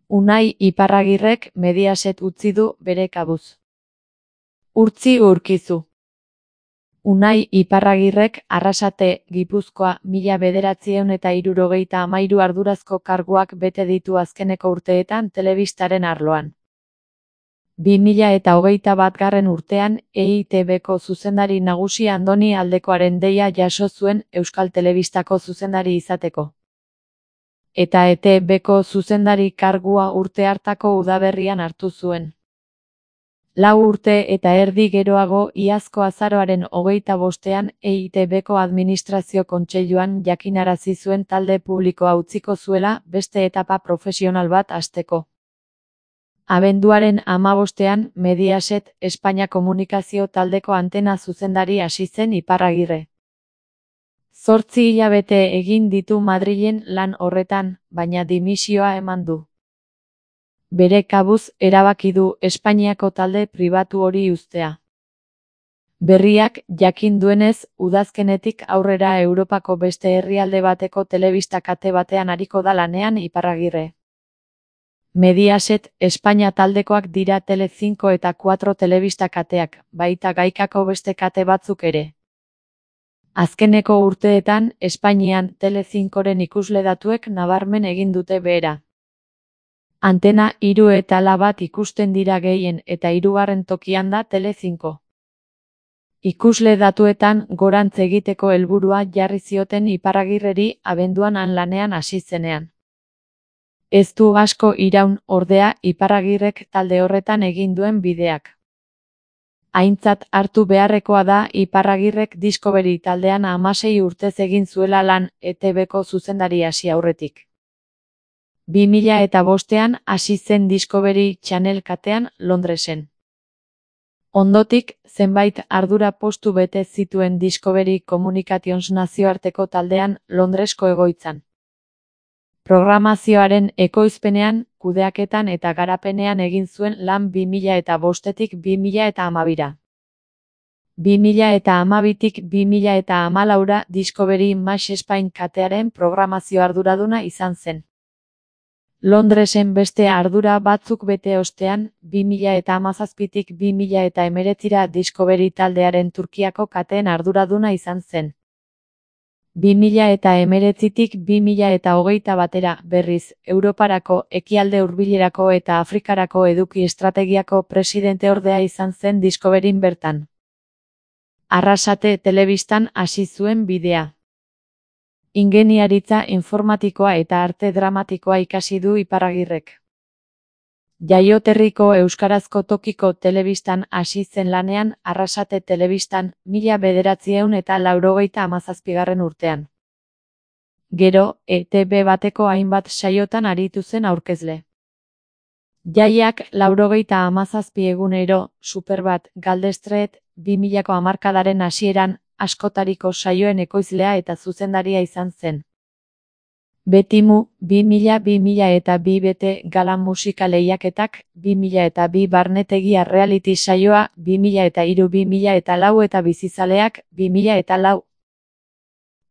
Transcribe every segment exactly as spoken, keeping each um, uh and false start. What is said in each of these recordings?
Unai Iparragirrek Mediaset utzi du bere kabuz. Urtzi Urkizu. Unai Iparragirrek Arrasate, Gipuzkoa, mila bederatziehun eta hirurogeita hamairu ardurazko karguak bete ditu azkeneko urteetan telebistaren arloan. bi mila eta hogeita batgarren urtean E I T Bko zuzendari nagusi Andoni Aldekoaren deia jaso zuen Euskal Telebistako zuzendari izateko. Eta E T Bko zuzendari kargua urte hartako udaberrian hartu zuen. Lau urte eta erdi geroago iazko azaroaren hogeita bostean E I T Bko administrazio kontseiluan jakinarazi zuen talde publikoa utziko zuela beste etapa profesional bat hasteko. Abenduaren hamabostean Mediaset Espainia Komunikazio taldeko antena zuzendari hasi zen Iparragirre. Zortzi hilabete egin ditu Madrilen lan horretan, baina dimisioa eman du. Bere kabuz erabaki du Espainiako talde pribatu hori uztea. Berriak jakin duenez, udazkenetik aurrera Europako beste herrialde bateko telebista kate batean ariko da lanean Iparragirre. Mediaset Espainia taldekoak dira Tele cinco eta cuatro telebista kateak, baita gaikako beste kate batzuk ere. Azkeneko urteetan, Espainian Tele cincoren ikusle datuek nabarmen egin dute behera. Antena hiru eta lau bat ikusten dira gehien eta hirugarren tokian da Tele cinco. Ikusle datuetan gorantz egiteko helburua jarri zioten Iparragirreri abenduan han lanean hasi zenean. Ez du asko iraun, ordea, Iparragirrek talde horretan egin duen bideak. Aintzat hartu beharrekoa da Iparragirrek Discovery taldean hamasei urtez egin zuela lan E T Bko zuzendari hasi aurretik. bi mila eta bostean hasi zen Discovery Channel katean Londresen. Ondotik, zenbait ardura postu bete zituen Discovery Communications nazioarteko taldean Londresko egoitzan. Programazioaren ekoizpenean, kudeaketan eta garapenean egin zuen lan bi mila eta bostetik bi mila eta hamabira. bi mila eta hamabitik bi mila eta hamalaura Discovery Max Spain katearen programazio arduraduna izan zen. Londresen beste ardura batzuk bete ostean, bi mila eta hamazazpitik bi mila eta hemeretzira Discovery taldearen Turkiako kateen arduraduna izan zen. bi mila eta hemeretzitik bi mila eta hogeita batera, berriz, Europarako, Ekialde Hurbilerako eta Afrikarako eduki estrategiako presidenteordea izan zen Discoveryn bertan. Arrasate telebistan hasi zuen bidea. Ingeniaritza informatikoa eta arte dramatikoa ikasi du Iparragirrek. Jaioterriko euskarazko tokiko telebistan hasi zen lanean Arrasate telebistan mila bederatziehun eta laurogeita hamazazpigarren urtean. Gero, E T B bateko hainbat saiotan aritu zen aurkezle. Jaiak laurogeita hamazazpi egunero, Superbat, Galdestreet, bi milako hamarkadaren hasieran, askotariko saioen ekoizlea eta zuzendaria izan zen. Betimu, bi mila bi mila eta bi bete gala musika lehiaketak, bi mila eta bi barnetegia reality saioa, bi mila eta hiru bi mila eta lau eta bizizaleak, bi mila eta lau.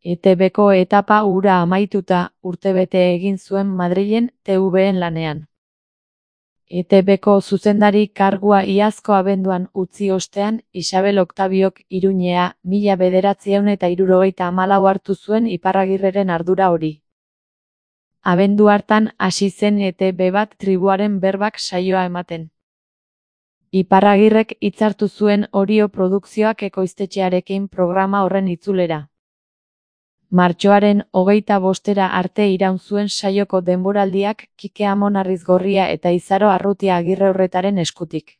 E T Bko etapa hura amaituta, urtebete egin zuen Madrilen T V-en lanean. E T Bko zuzendari kargua iazko abenduan utzi ostean, Isabel Oktabiok Iruñea, mila bederatziehun eta hirurogeita hamalau hartu zuen Iparragirreren ardura hori. Abendu hartan hasi zen E T B bat tribuaren berbak saioa ematen. Iparragirrek hitzartu zuen Orio Produkzioak ekoiztetxearekin programa horren itzulera. Martxoaren hogeita bostera arte iraun zuen saioko denboraldiak Kike Amon Arrizgorria eta Izaro Arrutia Agirreurretaren eskutik.